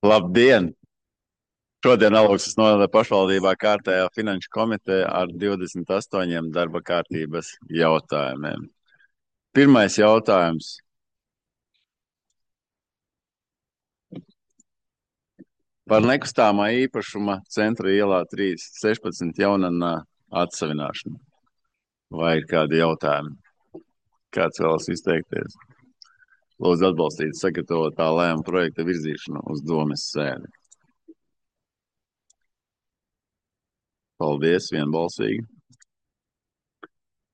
Labdien! Šodien Alūksnes novada pašvaldībā kārtējā finanšu komiteja ar 28 darba kārtības jautājumiem. Pirmais jautājums par nekustamā īpašuma Centra ielā 3/16 Jaunannā atsavināšanu. Vai ir kādi jautājumi? Kāds vēlas izteikties? Lūdzu atbalstīt sagatavotā lēmuma projekta virzīšanu uz domes sēdi. Paldies, vienbalsīgi.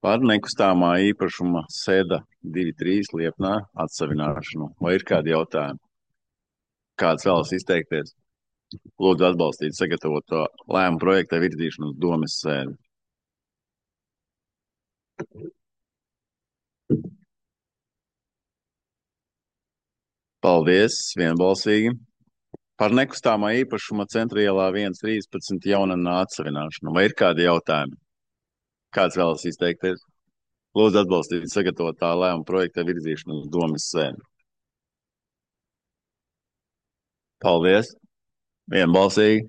Par nekustamā īpašuma Seda 2/3 Liepnā atsavināšanu. Vai ir kādi jautājumi? Kāds vēlas izteikties? Lūdzu atbalstīt sagatavoto lēmuma projekta virzīšanu uz domes sēdi. Paldies, vienbalsīgi. Par nekustamā īpašuma Centra ielā 1/13 Jaunannā atsavināšanu. Vai ir kādi jautājumi? Kāds vēlas izteikties? Lūdzu atbalstīt sagatavotā lēmuma projekta virzīšanu uz domes sēdi. Paldies, vienbalsīgi.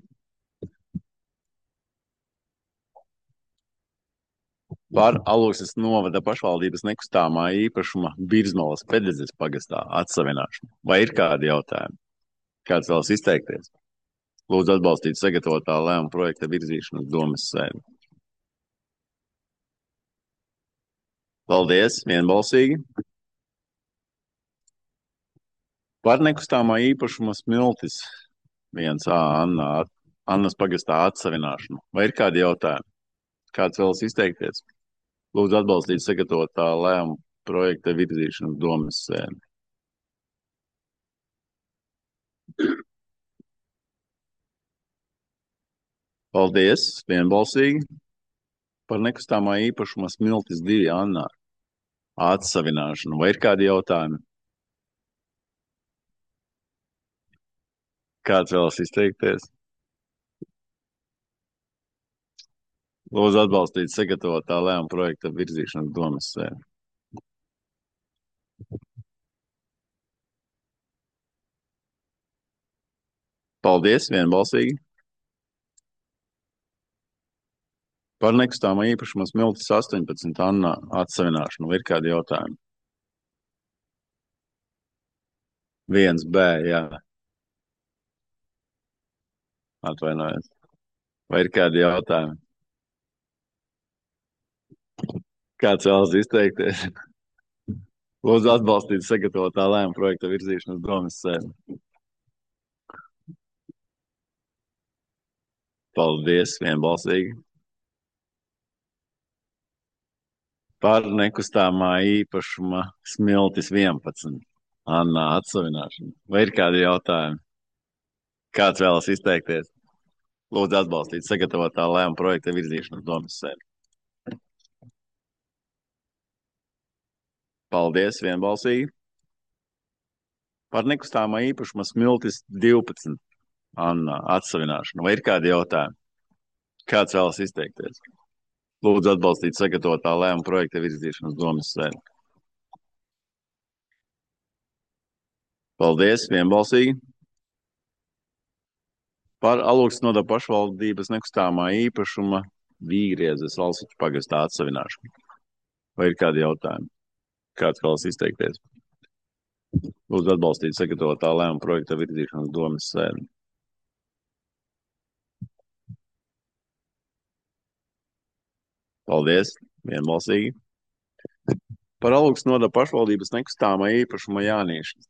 Par Alūksnes novada pašvaldības nekustamā īpašuma Birzmalas Pededzes pagastā atsavināšanu. Vai ir kādi jautājumi? Kāds vēlas izteikties? Lūdzu atbalstīt sagatavotā lēmuma projekta virzīšanu uz domes sēdi. Paldies, vienbalsīgi. Par nekustamā īpašuma Smiltis 1A Annas pagastā atsavināšanu. Vai ir kādi jautājumi? Kāds vēlas izteikties? Lūdzu atbalstīt sagatavotā lēmuma projekta virzīšanu uz domes sēdi. Paldies, vienbalsīgi. Par nekustamā īpašuma Smiltis 2 Annā atsavināšanu. Vai ir kādi jautājumi? Kāds vēlas izteikties? Lūdzu atbalstīt sagatavotā lēmuma projekta virzīšanu uz domes sēdi. Paldies, vienbalsīgi. Par nekustamā īpašuma Smiltis 18 Annā atsavināšanu. Vai ir kādi jautājumi? 1B, jā. Atvainojos. Vai ir kādi jautājumi? Kāds vēlas izteikties? Lūdzu atbalstīt sagatavotā lēmuma projekta virzīšanu uz domes sēdi. Paldies, vienbalsīgi. Par nekustamā īpašuma Smiltis 11 Annā atsavināšanu. Vai ir kādi jautājumi? Kāds vēlas izteikties? Lūdzu atbalstīt sagatavotā lēmuma projekta virzīšanu uz domes sēdi. Paldies, vienbalsīgi. Par nekustamā īpašuma Smiltis 12 Annā atsavināšanu. Vai ir kādi jautājumi? Kāds vēlas izteikties? Lūdzu atbalstīt sagatavotā lēmuma projekta virzīšanu uz domes sēdi. Paldies, vienbalsīgi. Par Alūksnes novada pašvaldības nekustamā īpašuma Vīgriezes Alsiķu pagastā atsavināšanu. Vai ir kādi jautājumi? Kāds vēlas izteikties? Lūdzu atbalstīt sagatavotā lēmuma projekta virzīšanu uz domes sēdi. Paldies, vienbalsīgi. Par Alūksnes novada pašvaldības nekustamā īpašuma Jānieša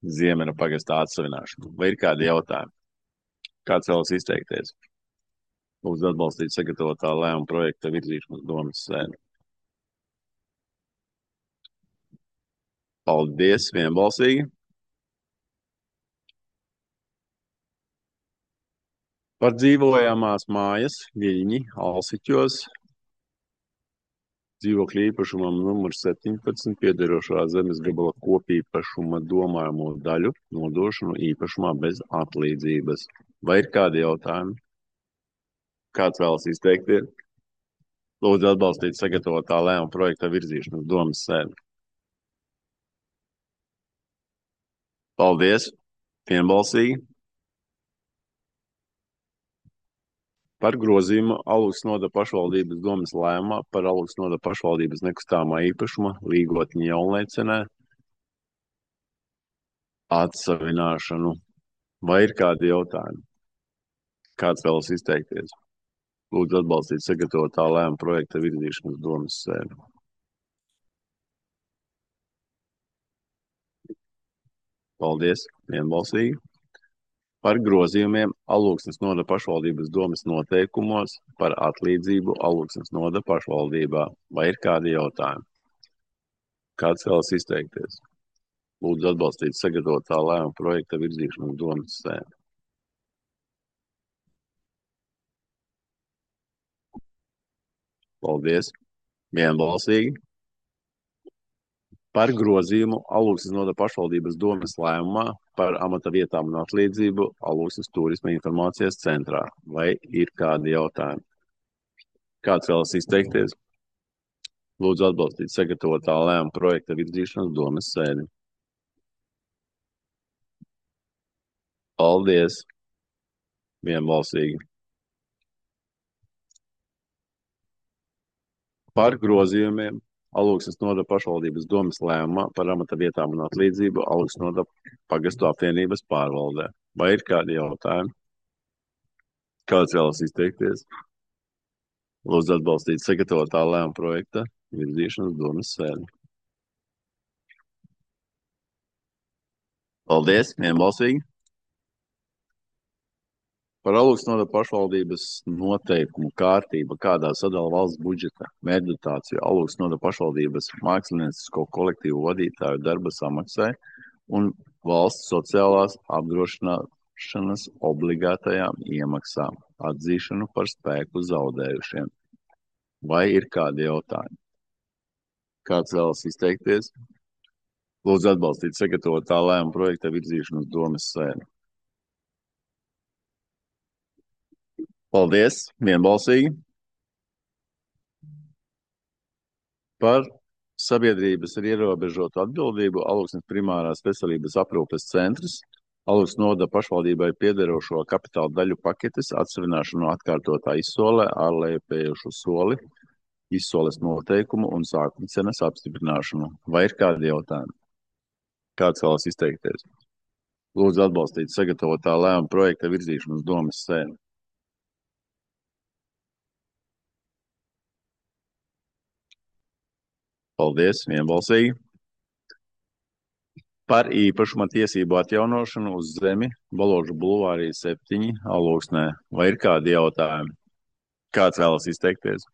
Ziemera pagastā atsavināšanu. Vai ir kādi jautājumi? Kāds vēlas izteikties? Lūdzu atbalstīt sagatavotā lēmuma projekta virzīšanu uz domes sēdi. Paldies, vienbalsīgi. Par dzīvojamās mājas Viļņi Alsiķos dzīvokļa īpašumam numur 17 piederošā zemes gabala kopīpašuma domājamo daļu nodošanu īpašumā bez atlīdzības. Vai ir kādi jautājumi? Kāds vēlas izteikties? Lūdzu atbalstīt sagatavotā lēmuma projekta virzīšanu uz domes sēdi. Paldies, vienbalsīgi. Par grozījumu Alūksnes novada pašvaldības domes lēmumā par Alūksnes novada pašvaldības nekustamā īpašuma līgotņu Jaunlēcenē atsavināšanu. Vai ir kādi jautājumi? Kāds vēlas izteikties? Lūdzu atbalstīt sagatavotā lēmuma projekta virzīšanas domes sēdi. Paldies, vienbalsīgi. Par grozījumiem Alūksnes novada pašvaldības domes noteikumos par atlīdzību Alūksnes novada pašvaldībā. Vai ir kādi jautājumi? Kāds vēlas izteikties? Lūdzu atbalstīt sagatavotā lēmuma projekta virzīšanas domes sēdi. Paldies, vienbalsīgi. Par grozījumu Alūksnes novada pašvaldības domes lēmumā par amata vietām un atlīdzību Alūksnes turisma informācijas centrā. Vai ir kādi jautājumi? Kāds vēlas izteikties? Lūdzu atbalstīt sagatavotā lēmuma projekta virzīšanas domes sēdi. Paldies, vienbalsīgi. Par grozījumiem Alūksnes novada pašvaldības domes lēmumā par amata vietām un atlīdzību Alūksnes novada pagastu apvienības pārvaldē. Vai ir kādi jautājumi? Kāds vēlas izteikties? Lūdzu atbalstīt sagatavotā lēmuma projekta virzīšanas domes sēdi. Paldies, vienbalsīgi. Par Alūksnes novada pašvaldības noteikumu kārtība, kādā sadala valsts budžeta mērķdotāciju Alūksnes novada pašvaldības māksliniecisko kolektīvu vadītāju darba samaksai un valsts sociālās apdrošināšanas obligātajām iemaksām atzīšanu par spēku zaudējušiem. Vai ir kādi jautājumi? Kāds vēlas izteikties? Lūdzu atbalstīt sagatavotā lēmuma projekta virzīšanas domes sēdi. Paldies, vienbalsīgi. Par sabiedrības ar ierobežotu atbildību Alūksnes primārās veselības aprūpes centrs Alūksnes novada pašvaldībai piederošo kapitāla daļu paketes atsavināšanu atkārtotā izsolē ārlējupējušu soli, izsoles noteikumu un sākuma cenas apstiprināšanu. Vai ir kādi jautājumi? Kāds vēlas izteikties? Lūdzu atbalstīt sagatavotā lēmuma projekta virzīšanas domes sēdi. Paldies, vienbalsīgi. Par īpašuma tiesību atjaunošanu uz zemi Baložu bulvārī 7 Alūksnē. Vai ir kādi jautājumi? Kāds vēlas izteikties?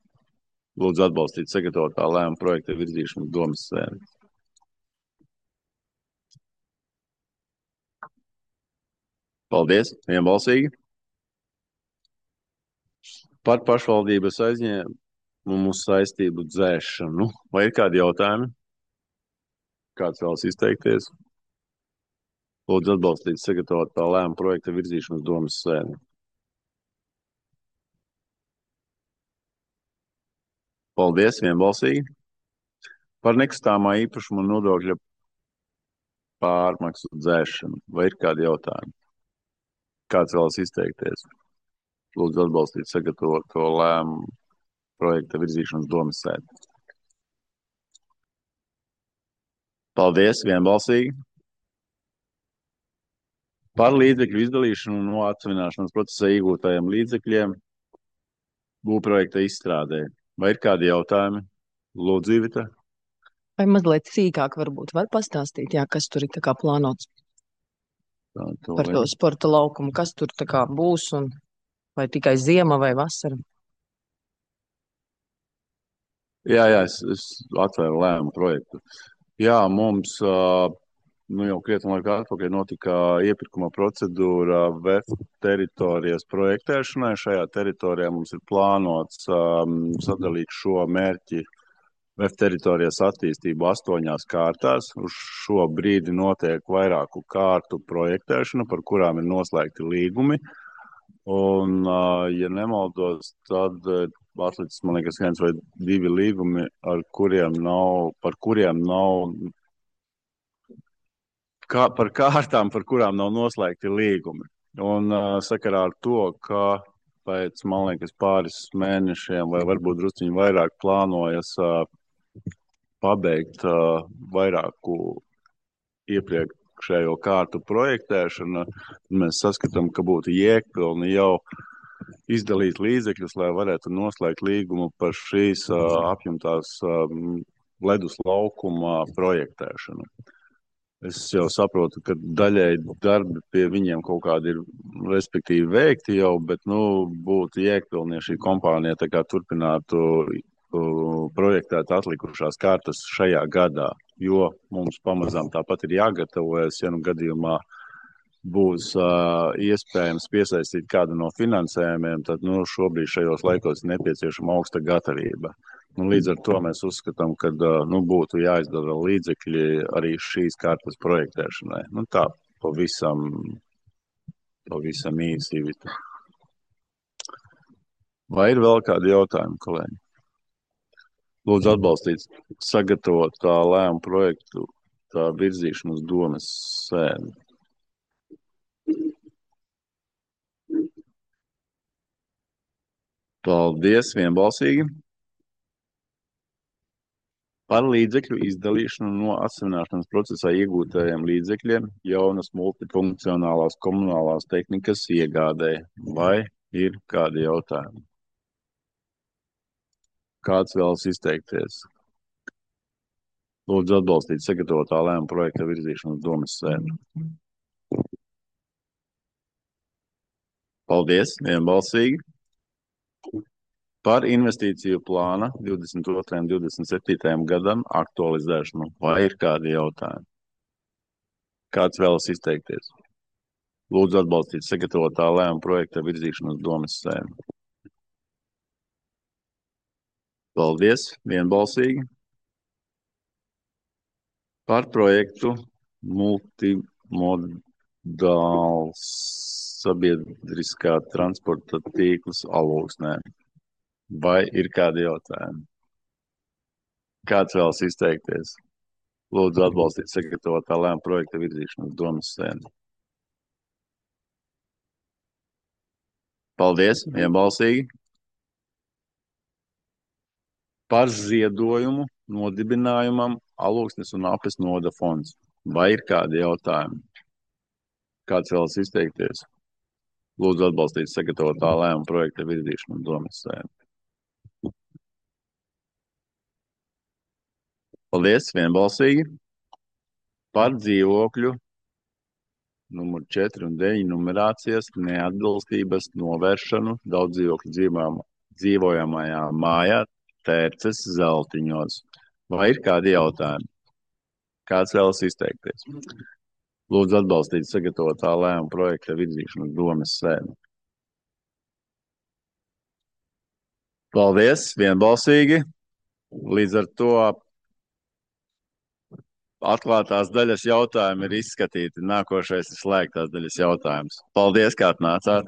Lūdzu atbalstīt sagatavotā lēmuma projekta virzīšanas domes sēdi. Paldies, vienbalsīgi. Par pašvaldības aizņēmumu saistību dzēšanu. Vai ir kādi jautājumi? Kāds vēlas izteikties? Lūdzu atbalstīt sagatavotā lēmuma projekta virzīšanas domes sēdi. Paldies, vienbalsīgi. Par nekustamā īpašuma nodokļa pārmaksu dzēšanu. Vai ir kādi jautājumi? Kāds vēlas izteikties? Lūdzu atbalstīt sagatavoto lēmumu projekta virzīšanas domes sēdi. Paldies, vienbalsīgi. Par līdzekļu izdalīšanu no atsavināšanas procesā iegūtajiem līdzekļiem būvprojekta izstrādē. Vai ir kādi jautājumi? Lūdzu, Ivita. Vai mazliet sīkāk varbūt var pastāstīt, jā, kas tur ir tā kā plānots par to sporta laukumu, kas tur tā kā būs un vai tikai ziema vai vasara? Jā, es atvēru lēmumu projektu. Jā, mums jau krietni laika atpakaļ notika iepirkuma procedūra VEF teritorijas projektēšanai. Šajā teritorijā mums ir plānots sadalīt šo mērķi VEF teritorijas attīstību 8 kārtās. Uz šo brīdi notiek vairāku kārtu projektēšana, par kurām ir noslēgti līgumi. Un, ja nemaldos, tad atlicis, man liekas, 1 vai 2 līgumi, par kuriem nav noslēgti līgumi. Un sakarā ar to, ka pēc, man liekas, pāris mēnešiem vai varbūt drusciņi vairāk plānojas pabeigt vairāku iepriekšējo kārtu projektēšanu. Mēs saskatām, ka būtu jēgpilni jau izdalīt līdzekļus, lai varētu noslēgt līgumu par šīs apjomtās ledus laukuma projektēšanu. Es jau saprotu, ka daļēji darbi pie viņiem kaut kādi ir, respektīvi, veikti jau, bet, būtu jēgpilni, ja šī kompānija tā kā turpinātu projektēt atlikušās kārtas šajā gadā, jo mums pamazām tāpat ir jāgatavojas, ja gadījumā būs iespējams piesaistīt kādu no finansējumiem, tad šobrīd šajos laikos ir nepieciešama augsta gatavība. Līdz ar to mēs uzskatām, ka būtu jāizdara līdzekļi arī šīs kārtas projektēšanai. Tā pavisam īsi. Vai ir vēl kādi jautājumi, kolēģi? Lūdzu atbalstīt sagatavotā lēmuma projektu tā virzīšanu uz domes sēdi. Paldies, vienbalsīgi. Par līdzekļu izdalīšanu no atsevināšanas procesā iegūtajiem līdzekļiem jaunas multifunkcionālās komunālās tehnikas iegādēji. Vai ir kādi jautājumi? Kāds vēlas izteikties? Lūdzu atbalstīt sagatavotā lēmuma projekta virzīšanu uz domes sēdi. Paldies, vienbalsīgi. Par investīciju plāna 22. un 27. gadam aktualizēšanu. Vai ir kādi jautājumi? Kāds vēlas izteikties? Lūdzu atbalstīt sagatavotā lēmuma projekta virzīšanu uz domes sēdi. Paldies, vienbalsīgi. Par projektu multimodāls sabiedriskā transporta tīkls Alūksnē. Vai ir kādi jautājumi? Kāds vēlas izteikties? Lūdzu atbalstīt sagatavotā lēmuma projekta virzīšanu uz domes sēdi. Paldies, vienbalsīgi. Par ziedojumu nodibinājumam Alūksnes un Apes noda fonds. Vai ir kādi jautājumi? Kāds vēlas izteikties? Lūdzu atbalstīt sagatavotā lēmuma projekta virzīšanu uz domes sēdi. Paldies, vienbalsīgi. Par dzīvokļu numur 4 un 9 numerācijas neatbilstības novēršanu daudzdzīvokļu dzīvojamajā mājā Tērces Zeltiņos. Vai ir kādi jautājumi? Kāds vēlas izteikties? Lūdzu atbalstīt sagatavotā lēmuma projekta virzīšanu uz domes sēdi. Paldies, vienbalsīgi. Līdz ar to atklātās daļas jautājumi ir izskatīti. Nākošais ir slēgtās daļas jautājums. Paldies, kā atnācāt!